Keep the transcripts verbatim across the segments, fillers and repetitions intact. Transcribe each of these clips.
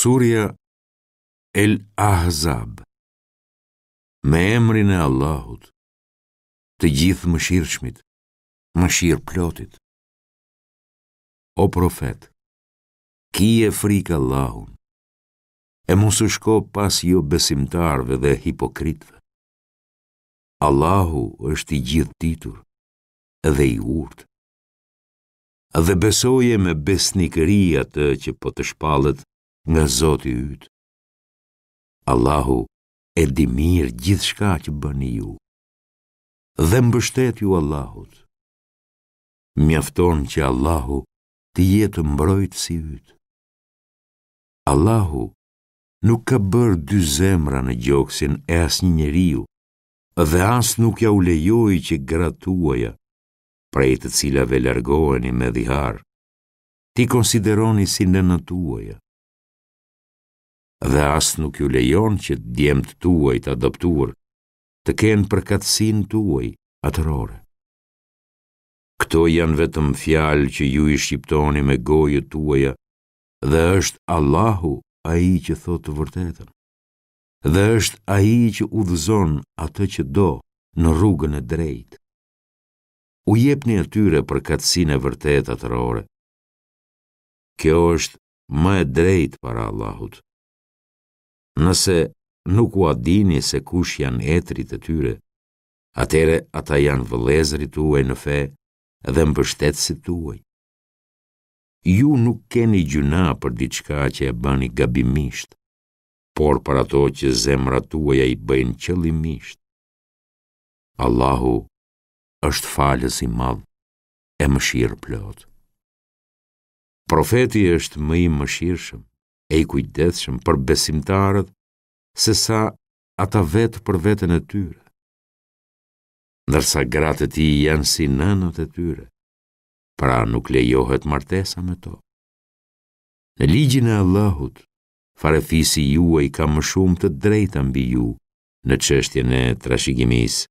Surja El Ahzab. Me emrin e Allahut, të gjithë mëshirshmit, mëshirëplotit. O profet, kije frikë Allahun, e mos u shko pas jobesimtarëve dhe hipokritëve. Allahu është i gjithëditur dhe i urtë. Dhe besoje me besnikëri atë që po të shpallet nga Zoti yt. Allahu e di mirë gjithçka që bëni ju. Dhe mbështetju Allahut. Mjafton që Allahu të jetë mbrojtësi yt. Allahu nuk ka bërë dy zemra në gjoksin e asnjë njeriu dhe as nuk ja u lejoi që gratë tuaja, prej të cilave largoheni me dhihar, t'i konsideroni si nënat tuaja. Dhe as nuk ju lejon që djemtë tuaj të adoptuar të kenë përkatësinë tuaj atërore. Këto janë vetëm fjalë që ju i shqiptoni me gojët tuaja dhe është Allahu ai që thotë të vërtetën. Dhe është ai që udhëzon atë që do në rrugën e drejtë. U jepni atyre përkatësinë e vërtetë atërore. Kjo është më e drejtë para Allahut. Nëse nuk ua dini se kush janë etërit e tyre, atëherë ata janë vëllezërit tuaj në fe dhe mbështetësit tuaj. Ju nuk keni gjynah për diçka që e bëni gabimisht, por për ato që zemrat tuaja i bëjnë qëllimisht. Allahu është falës i madh e mëshirëplotë. Profeti është më i mëshirshëm e i kujdesshëm për besimtarët se sa ata vetë për veten e tyre. Ndërsa gratë e tij janë si nënat e tyre, pra nuk lejohet martesa me to. Në ligjin e Allahut, farefisi juaj ka më shumë të drejta mbi ju në çështjen e trashëgimisë,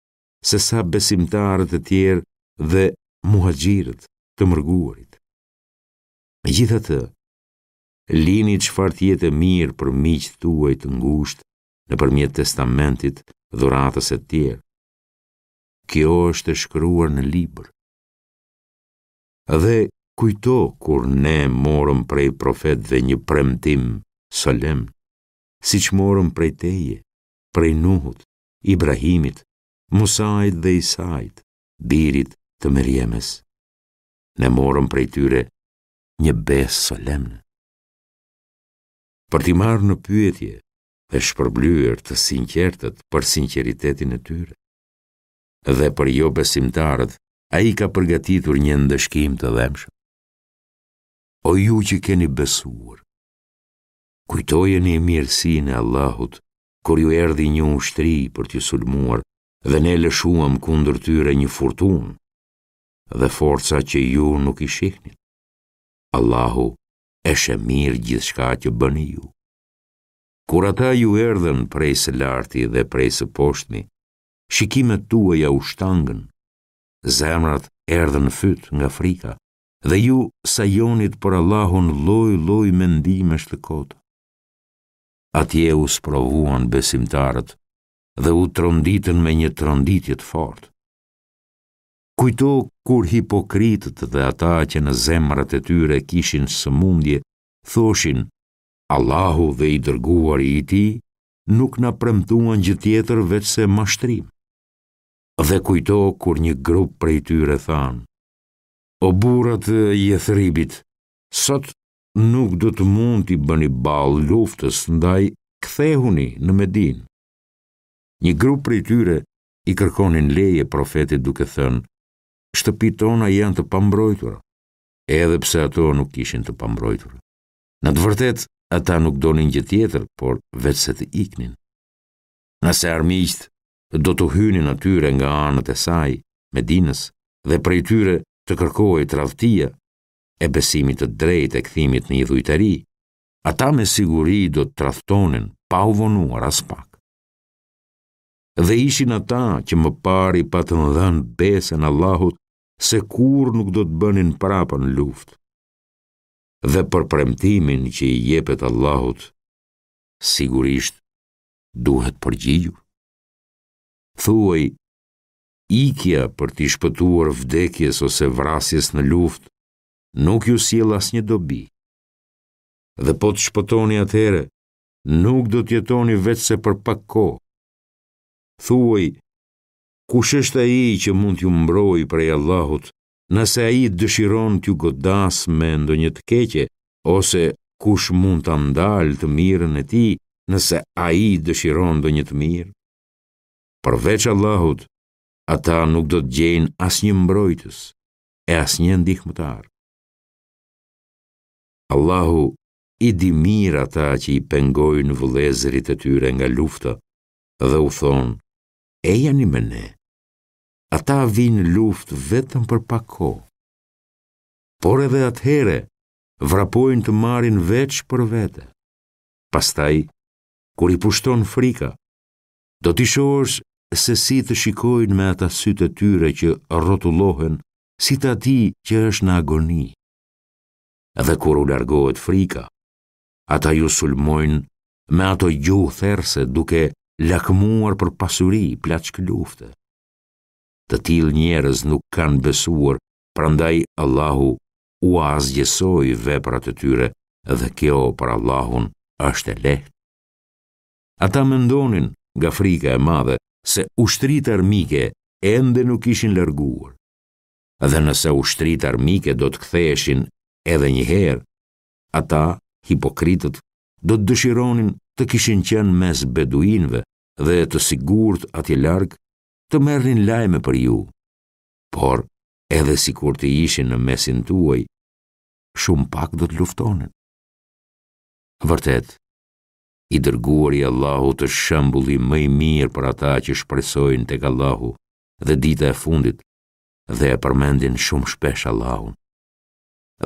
se sa besimtarët e tjerë dhe muhaxhirët, të mërguarit. Megjithatë, lini çfarë të jetë e mirë për miqtë tuaj të ngushtë nëpërmjet testamentit, dhuratës e tjerë. Kjo është e shkruar në libër. Dhe kujto kur ne morëm prej profetëve një premtim solemn, siç morëm prej teje, prej Nuhut, Ibrahimit, Musait dhe Isait, birit të Merjemes. Ne morëm prej tyre një besë solemne. Për t'i marrë në pyetje dhe shpërblyer të sinqertët për sinqeritetin e tyre. Dhe për jobesimtarët, ai ka përgatitur një ndëshkim të dhembshëm. O ju që keni besuar, kujtojeni mirësinë e Allahut kur ju erdhi një ushtri për t'ju sulmuar dhe ne lëshuam kundër tyre një furtunë dhe forca që ju nuk i shihnit. Allahu e sheh mirë gjithçka që bëni ju. Kur ata ju erdhën prej së larti dhe prej së poshtmi, shikimet tuaja u shtangën, zemrat erdhën në fyt nga frika dhe ju sajonit për Allahun lloj-lloj mendimesh të kota. Atje u sprovuan besimtarët dhe u tronditën me një tronditje të fortë. Kujto kur hipokritët dhe ata që në zemrat e tyre kishin sëmundje, thoshin, Allahu dhe i dërguari i tij nuk na premtuan gjë tjetër veçse mashtrim. Dhe kujto kur një grup prej tyre thanë, O burra të Jethribit, sot nuk do të mund t'i bëni ballë luftës, ndaj kthehuni në Medinë. Një grup prej tyre i kërkonin leje profetit duke thënë, shtëpitë tona janë të pambrojtura, edhe pse ato nuk ishin të pambrojtura. Në të vërtetë, ata nuk donin gjë tjetër, por veçse të iknin. Nëse armiqtë do t'u hynin atyre nga anët e saj, Medinës, dhe prej tyre të kërkohej tradhtia e besimit të drejtë e kthimit në idhujtari, ata me siguri do të tradhtonin pa u vonuar aspak. Dhe ishin ata që më parë i patën dhënë besën Allahut se kurrë nuk do të bënin prapa në luftë. Dhe për premtimin që i jepet Allahut, Sigurisht, duhet përgjigjur. Thuaj, ikja për t'i shpëtuar vdekjes ose vrasjes në luftë nuk ju sjell asnjë dobi. Dhe po të shpëtoni atëherë, nuk do të jetoni veçse për pak kohë. Thuaj, kush është ai që mund t'ju mbrojë prej Allahut, nëse ai dëshiron t'ju godasë me ndonjë të keqe, ose kush mund ta ndalë të mirën e tij, nëse ai dëshiron ndonjë të mirë? Përveç Allahut, ata nuk do të gjejnë asnjë mbrojtës e asnjë ndihmëtar. Allahu i di mirë ata që i pengojnë vëllezërit e tyre nga lufta dhe u thonë, ejani me ne. Ata vijnë në luftë vetëm për pak kohë. Por edhe atëherë vrapojnë të marrin veç për vete. Pastaj, kur i pushton frika, do t'i shohësh se si të shikojnë me ata sytë e tyre që rrotullohen si të atij që është në agoni. Dhe kur u largohet frika, ata ju sulmojnë me ato gjuhë therëse duke lakmuar për pasuri, plaçkë lufte. Të tillë njerëz nuk kanë besuar, prandaj Allahu ua asgjësoi veprat e tyre dhe kjo për Allahun është e lehtë. Ata mendonin, nga frika e madhe, se ushtritë armike ende nuk ishin larguar. Dhe nëse ushtritë armike do të ktheheshin edhe një herë, ata, hipokritët, do të dëshironin të kishin qenë mes beduinëve dhe të sigurt atje larg, të merrnin lajme për ju. Por, edhe sikur të ishin në mesin tuaj, shumë pak do të luftonin. Vërtet, i dërguari i Allahut është shembulli më i mirë për ata që shpresojnë tek Allahu dhe dita e fundit dhe e përmendin shumë shpesh Allahun.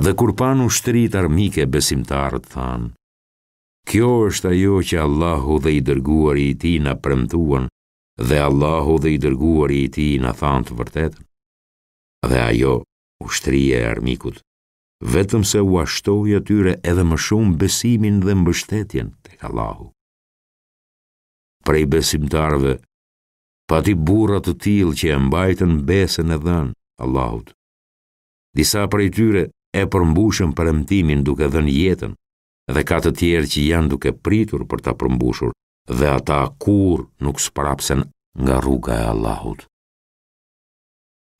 Dhe kur panë ushtritë armike besimtarët thanë, kjo është ajo që Allahu dhe i dërguari i tij na premtuan dhe Allahu dhe i dërguari i tij na thanë të vërtetën. Dhe ajo, ushtria e armikut, vetëm se ua shtoi atyre edhe më shumë besimin dhe mbështetjen tek Allahu. Prej besimtarëve, pati burra të tillë që e mbajtën besën e dhënë Allahut. Disa prej tyre e përmbushën premtimin duke dhënë jetën, dhe ka të tjerë që janë duke pritur për ta përmbushur, dhe ata kurrë nuk sprapsen nga rruga e Allahut.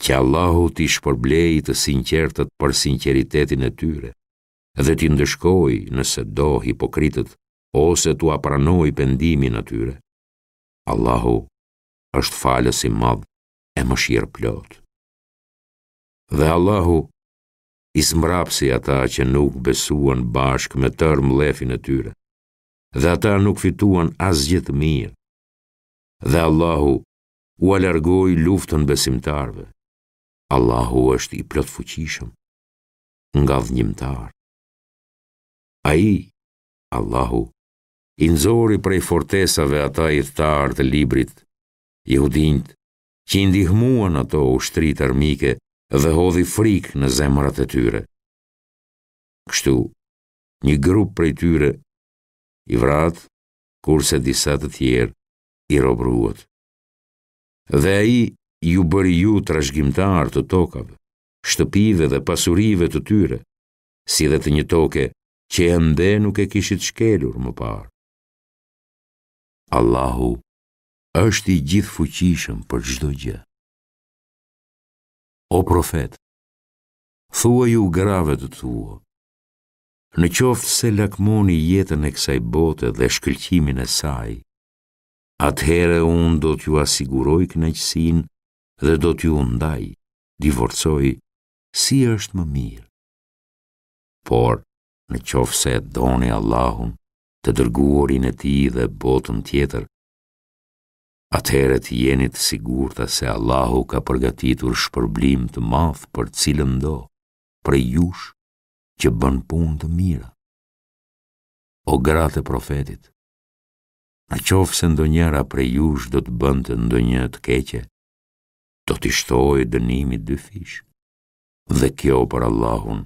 Që Allahu t'i shpërblejë të sinqertët për sinqeritetin e tyre dhe t'i ndëshkojë nëse do hipokritët ose t'ua pranojë pendimin atyre. Allahu është falës i madh e mëshirëplotë. Dhe Allahu i zmbrapsi ata që nuk besuan bashkë me tërë mllefin e tyre, dhe ata nuk fituan asgjë të mirë. Dhe Allahu ua largoi luftën besimtarëve. Allahu është i plotfuqishëm, ngadhënjimtar. Ai, Allahu, i nxori prej fortesave ata ithtarë të librit, jehudinjtë, që i ndihmuan ato ushtritë armike dhe hodhi frikë në zemrat e tyre. Kështu, një grup prej tyre i vratë, kurse disa të tjerë i robëruat. Dhe ai ju bëri ju trashëgimtarë të tokave, shtëpive dhe pasurive të tyre, si dhe të një toke që ende nuk e kishit shkelur më parë. Allahu është i gjithëfuqishëm për çdo gjë. O profet, thuaju grave të tua, në qoftë se lakmoni jetën e kësaj bote dhe shkëlqimin e saj, atëherë unë do t'jua siguroj kënaqësinë dhe do t'ju ndaj, divorcoj, si është më mirë. Por, në qoftë se e doni Allahun, të dërguarin e tij dhe botën tjetër, atëherë të jeni të sigurta se Allahu ka përgatitur shpërblim të madh për cilëndo prej jush që bën punë të mira. O gratë e profetit, në qoftë se ndonjëra prej jush do të bënte ndonjë të keqe, do t'i shtohej dënimi dyfish. Dhe kjo për Allahun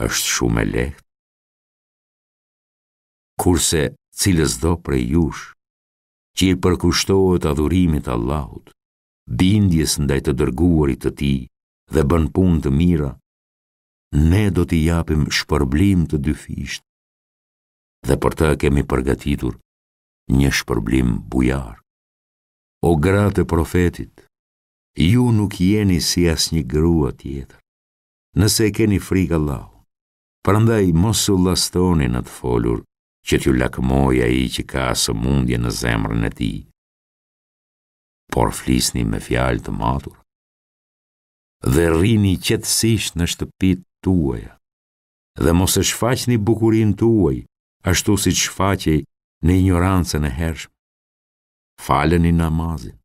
është shumë e lehtë. Kurse Cilësdo prej jush, që i përkushtohet adhurimit Allahut, bindjes ndaj të dërguarit të tij dhe bën punë të mira, ne do t'i japim shpërblim të dyfishtë dhe për të kemi përgatitur një shpërblim bujar. O gratë e profetit, ju nuk jeni si asnjë grua tjetër, nëse e keni frikë Allahun. Prandaj mos u llastoni në të folur që t'ju lakmojë ai që ka sëmundje në zemrën e tij, por flisni me fjalë të matura dhe rrini qetësisht në shtëpitë tuaja dhe mos e shfaqni bukurinë tuaj ashtu siç shfaqej në injorancën e hershme. Faleni namazin,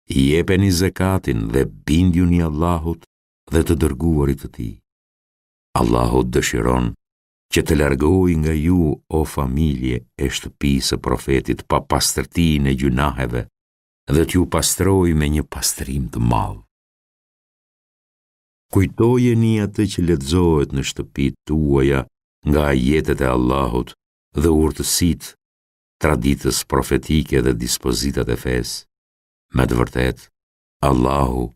jepeni zekatin dhe bindjuni Allahut dhe të dërguarit të tij. Allahu dëshiron që të largojë nga ju, o familje e shtëpisë së profetit, papastërtinë e gjynaheve dhe t'ju pastrojë me një pastrim të madh. Kujtojeni atë që lexohet në shtëpitë tuaja nga ajetet e Allahut dhe urtësitë, traditës profetike dhe dispozitat e fesë. Me të vërtetë, Allahu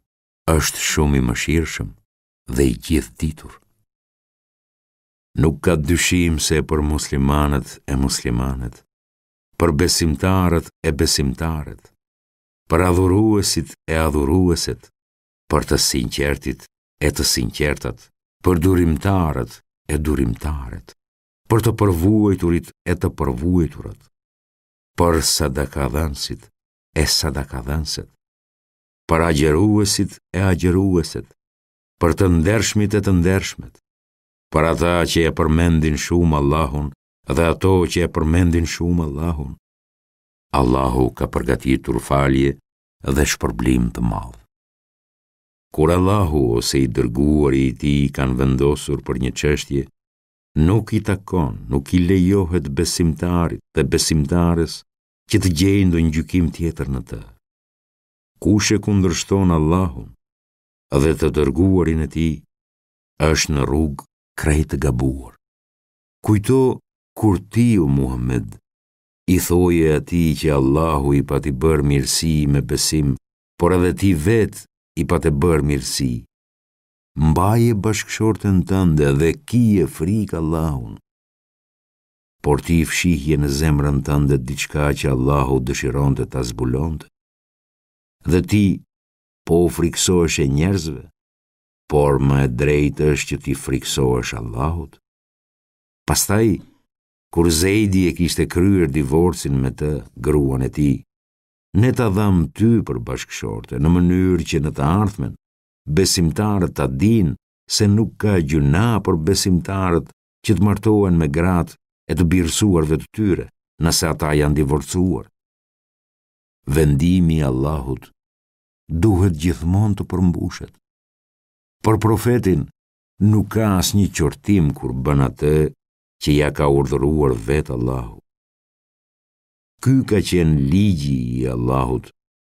është shumë i mëshirshëm dhe i gjithëditur. Nuk ka dyshim se për muslimanët e muslimanet, për besimtarët e besimtaret, për adhuruesit e adhurueset, për të sinqertit e të sinqertat, për durimtarët e durimtaret, për të përvuajturit e të përvuajturat, për sadakadhënësit e sadakadhënëset, për agjëruesit e agjërueset, për të ndershmit e të ndershmet, për ata që e përmendin shumë Allahun dhe ato që e përmendin shumë Allahun. Allahu ka përgatitur falje dhe shpërblim të madh. Kur Allahu ose i dërguari i tij kanë vendosur për një çështje, nuk i takon, nuk i lejohet besimtarit dhe besimtares që të gjejë ndonjë gjykim tjetër në të. Kush e kundërshton Allahun dhe të dërguarin e tij, është në rrugë krejt të gabuar. Kujto kur ti, o Muhammed, i thoje atij që Allahu i pati bërë mirësi me besim, por edhe ti vetë i pate bërë mirësi. Mbaje bashkëshorten tënde dhe kije frikë Allahun. Por ti fshihje në zemrën tënde diçka që Allahu dëshironte ta zbulonte. Dhe ti po u frikësoheshe njerëzve, por më e drejtë është që t'i frikësohesh Allahut. Pastaj, kur Zejdi e kishte kryer divorcin me të, gruan e tij, ne ta dhamë ty për bashkëshorte, në mënyrë që në të ardhmen, besimtarët ta dinë se nuk ka gjynah për besimtarët që të martohen me gratë e të birësuarve të tyre, nëse ata janë divorcuar. Vendimi i Allahut duhet gjithmonë të përmbushet. Për profetin nuk ka asnjë qortim kur bën atë që ia ka urdhëruar vetë Allahu. Ky ka qenë ligji i Allahut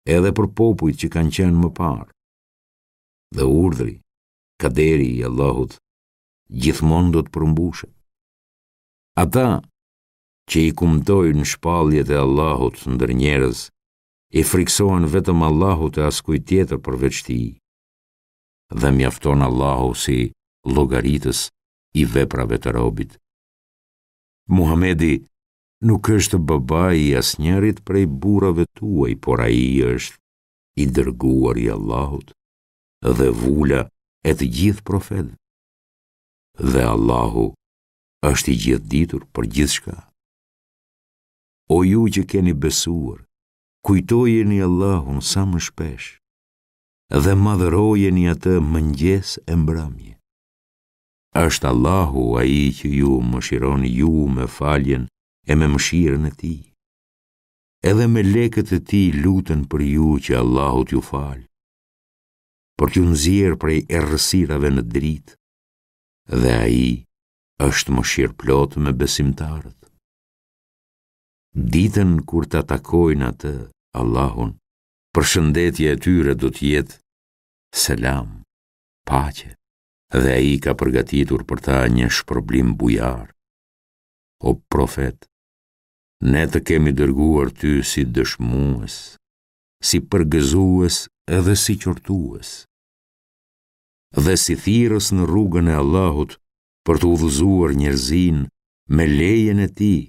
edhe për popujt që kanë qenë më parë. Dhe urdhri, kaderi i Allahut, gjithmonë do të përmbushet. Ata që i kumtojnë shpalljet e Allahut ndër njerëz, i frikësohen vetëm Allahut e askujt tjetër përveç tij. Dhe mjafton Allahu si llogaritës i veprave të robit. Muhamedi nuk është babai i asnjërit prej burrave tuaj, por ai është i dërguar i Allahut dhe vula e të gjithë profetëve. Dhe Allahu është i gjithëditur për gjithçka. O ju që keni besuar, kujtojeni Allahun sa më shpesh dhe madhërojeni atë mëngjes e mbrëmje. Është Allahu ai që ju mëshiron ju me faljen e me mëshirën e tij. Edhe melekët e tij luten për ju që Allahu t'ju falë, për t'ju nxjerrë prej errësirave në dritë, dhe ai është mëshirëplotë me besimtarët. Ditën kur ta takojnë atë, Allahun, përshëndetja e tyre do të jetë selam, paqe, dhe ai ka përgatitur për ta një shpërblim bujar. O profet, Ne të kemi dërguar ty si dëshmues, si përgëzues edhe si qortues, dhe si thirrës në rrugën e Allahut për të udhëzuar njerëzinë me lejen e tij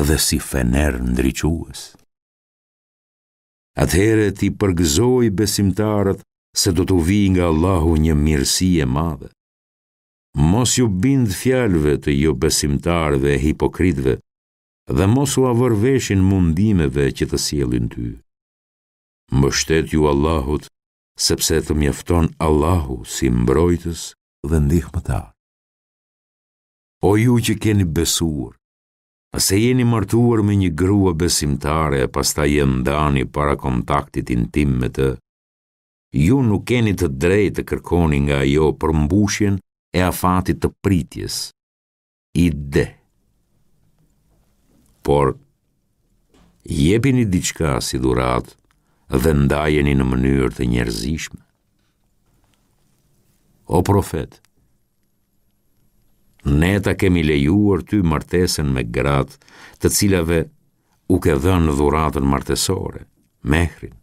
dhe si fener ndriçues. Atëherë ti përgëzoji besimtarët se do t'u vijë nga Allahu një mirësi e madhe. Mos iu bind fjalëve të jobesimtarëve e hipokritëve dhe mos ua vër veshin mundimeve që të sjellin ty. Mbështetju Allahut, sepse të mjafton Allahu si mbrojtës dhe ndihmëtar. O ju që keni besuar, nëse jeni martuar me një grua besimtare e pastaj e ndani para kontaktit intim me të, ju nuk keni të drejtë të kërkoni nga ajo përmbushjen e afatit të pritjes, idde. Por, jepini diçka si dhuratë dhe ndajeni në mënyrë të njerëzishme. O profet, ne ta kemi lejuar ty martesën me gratë të cilave u ke dhënë dhuratën martesore, mehrin,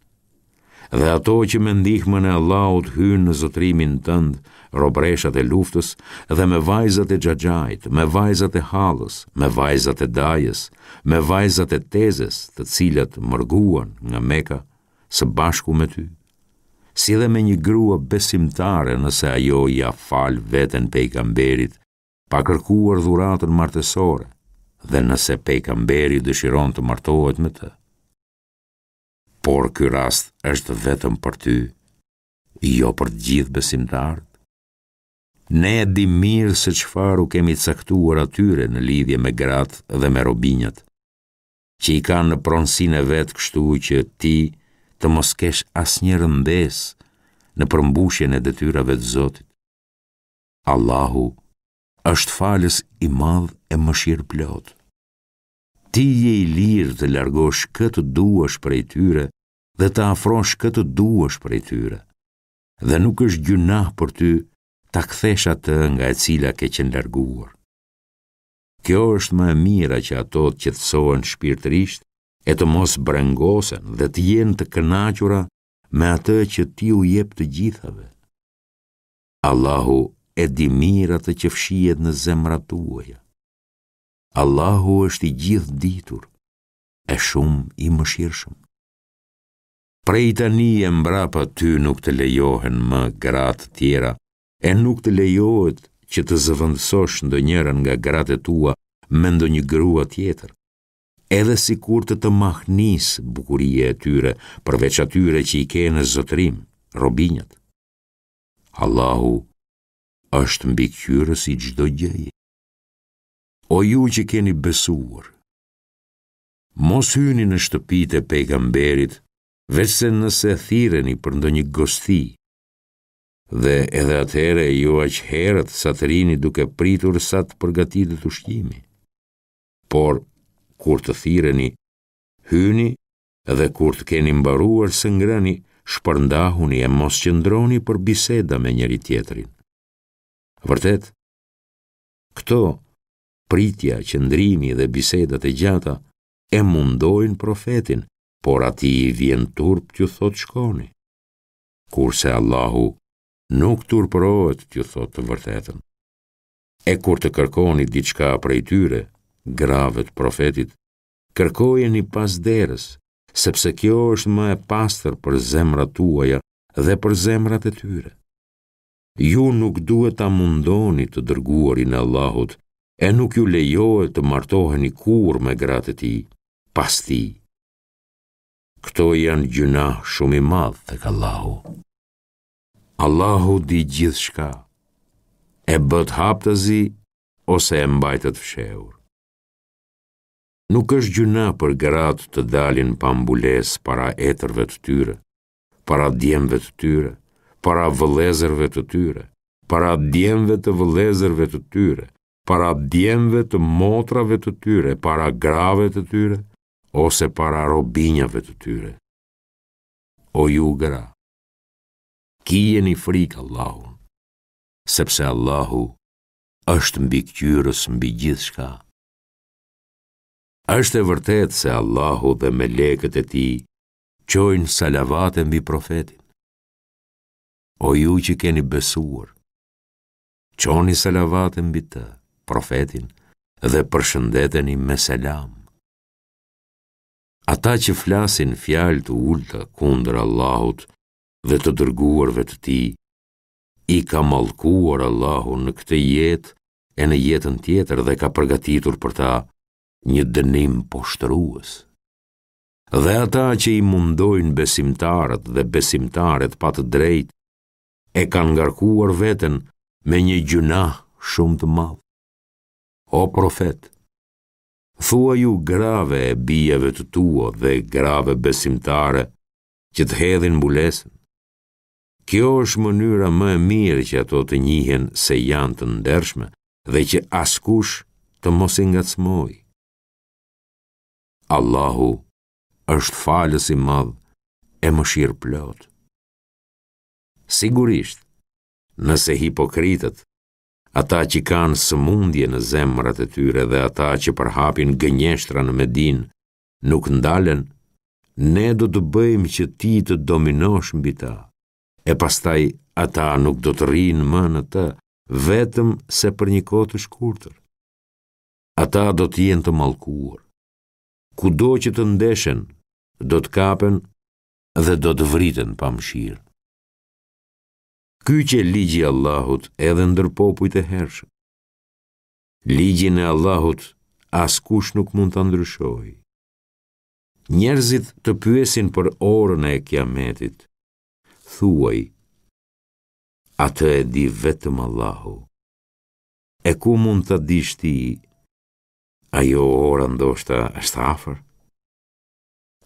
dhe ato që me ndihmën e Allahut hynë në zotërimin tënd, robreshat e luftës, dhe me vajzat e xhaxhait, me vajzat e hallës, me vajzat e dajës, me vajzat e tezes, të cilat mërguan nga Meka së bashku me ty, si dhe me një grua besimtare nëse ajo ia fal veten pejgamberit, pa kërkuar dhuratën martesore, dhe nëse pejgamberi dëshiron të martohet me të. Por ky rast është vetëm për ty, jo për të gjithë besimtarët. Ne e dimë mirë se çfarë u kemi caktuar atyre në lidhje me gratë dhe me robinjat, që i kanë në pronësinë e vet, kështu që ti të mos kesh asnjë rëndesë në përmbushjen e detyrave të Zotit. Allahu është falës i madh e mëshirëplot. Ti je i lirë të largosh kë të duash prej tyre dhe të afrosh kë të duash prej tyre, dhe nuk është gjynah për ty ta kthesh atë nga e cila ke qenë larguar. Kjo është më e mira që ato të qetësohen shpirtërisht e të mos brengosen dhe të jenë të kënaqura me atë që ti u jep të gjithave. Allahu e di mirë atë që fshihet në zemrat tuaja. Allahu është i gjithë ditur e shumë i mëshirshëm. Prej tani e mbrapa ty nuk të lejohen më gra të tjera e nuk të lejohet që të zëvendësosh ndonjërën nga gratë e tua me ndonjë grua tjetër, edhe sikur të të mahnis bukuria e tyre, përveç atyre që i ke në zotërim, robinjat. Allahu është mbikëqyrës i çdo gjëje. O ju që keni besuar, mos hyni në shtëpitë e pejgamberit, veçse nëse thirreni për ndonjë gosti, dhe edhe atëherë jo aq herët sa të rini duke pritur sa të përgatitet ushqimi. Por, kur të thirreni, hyni dhe kur të keni mbaruar së ngrëni, shpërndahuni e mos qëndroni për biseda me njëri tjetrin. Vërtet, këto pritja, qëndrimi dhe bisedat e gjata e mundojnë profetin, por atij i vjen turp t'ju thotë shkoni. Kurse Allahu nuk turpërohet t'ju thotë të vërtetën. E kur të kërkoni diçka prej tyre, grave të profetit, kërkojeni pas derës, sepse kjo është më e pastër për zemrat tuaja dhe për zemrat e tyre. Ju nuk duhet ta mundoni të dërguarin e Allahut, e nuk ju lejohet të martoheni kurrë me gratë e tij, pas tij. Këto janë gjynah shumë i madh tek Allahu. Allahu di gjithçka, e bëtë haptazi ose e mbajtët fshehur. Nuk është gjynah për gratë të dalin pa mbulesë para etërve të tyre, para djemve të tyre, para vëllezërve të tyre, para djemve të vëllezërve të tyre, para djemve të motrave të tyre, para grave të tyre, ose para robinjave të tyre. O ju gra, kijeni frikë Allahun, sepse Allahu është mbikëqyrës mbi gjithçka. Është e vërtetë se Allahu dhe melekët e tij çojnë salavate mbi profetin. O ju që keni besuar, çoni salavate mbi të, profetin, dhe përshëndeteni me selam. Ata që flasin fjalë të ulëta kundër Allahut dhe të dërguarve të tij, i ka mallkuar Allahu në këtë jetë e në jetën tjetër dhe ka përgatitur për ta një dënim poshtërues. Dhe ata që i mundojnë besimtarët dhe besimtaret pa të drejtë, e kanë ngarkuar veten me një gjynah shumë të madh. O profet, thuaju grave e bijave të tua dhe grave besimtare që të hedhin mbulesën. Kjo është mënyra më e mirë që ato të njihen se janë të ndershme dhe që askush të mos i ngacmojë. Allahu është falës i madh e mëshirëplotë. Sigurisht, nëse hipokritët, ata që kanë sëmundje në zemrat e tyre dhe ata që përhapin gënjeshtra në Medinë, nuk ndalen, ne do të bëjmë që ti të dominosh mbi ta, e pastaj ata nuk do të rrinë më në të, vetëm se për një kohë të shkurtër. Ata do të jenë të mallkuar. Kudo që të ndeshen, do të kapen dhe do të vriten pa mëshirë. Ky qe ligji i Allahut edhe ndër popujt e hershëm. Ligjin e Allahut askush nuk mund ta ndryshojë. Njerëzit të pyesin për orën e Kiametit. Thuaj, atë e di vetëm Allahu. E ku mund ta dish ti? Ajo ora ndoshta është afër.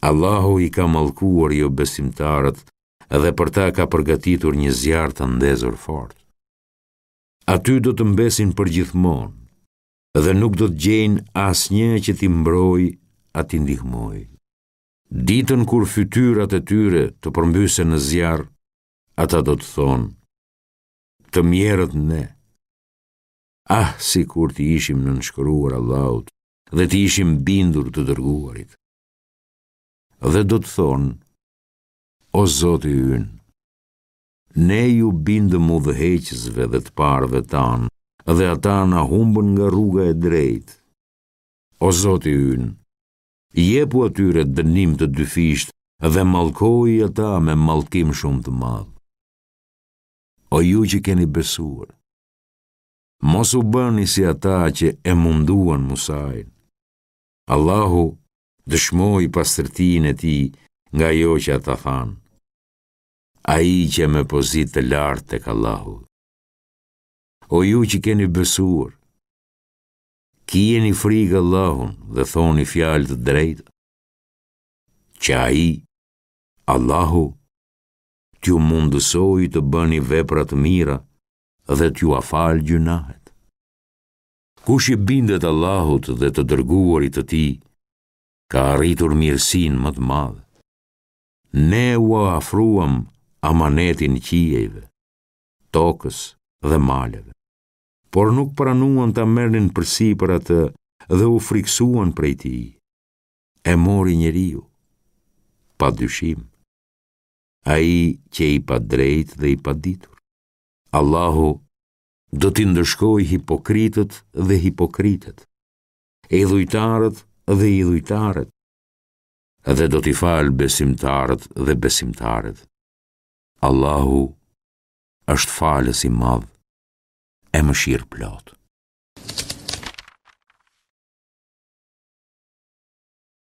Allahu i ka mallkuar jobesimtarët dhe për ta ka përgatitur një zjarr të ndezur fort. Aty do të mbesin përgjithmonë dhe nuk do të gjejnë asnjë që t'i mbrojë a t'i ndihmojë. Ditën kur fytyrat e tyre të përmbysen në zjarr, ata do të thonë, të mjerët ne. Ah, sikur t'i ishim nënshkruar Allahut dhe t'i ishim bindur të dërguarit. Dhe do të thonë, o Zoti ynë, ne iu bindëm udhëheqësve dhe të parëve tanë, dhe ata na humbën nga rruga e drejtë. O Zoti ynë, jepu atyre dënim të dyfishtë dhe mallkoji ata me mallkim shumë të madh. O ju që keni besuar, mos u bëni si ata që e munduan Musain. Allahu dëshmoi pastërtinë e tij nga ajo që ata thanë. Ai qe me pozitë të lartë tek Allahu. O ju që keni besuar, kijeni frikë Allahun dhe thoni fjalë të drejta, që ai, Allahu, t'ju mundësojë të bëni vepra të mira dhe t'jua falë gjynahet. Kush i bindet Allahut dhe të dërguarit të tij, ka arritur mirësinë më të madhe. Ne ua afruam amanetin qiejve, tokës dhe maleve, por nuk pranuan ta merrnin përsipër atë dhe u frikësuan prej tij. E mori njeriu, pa dyshim, ai qe i padrejtë dhe i paditur. Allahu do t'i ndëshkojë hipokritët dhe hipokritet, idhujtarët dhe idhujtaret, dhe do t'i falë besimtarët dhe besimtaret. Allahu është falës i madh e mëshirëplotë.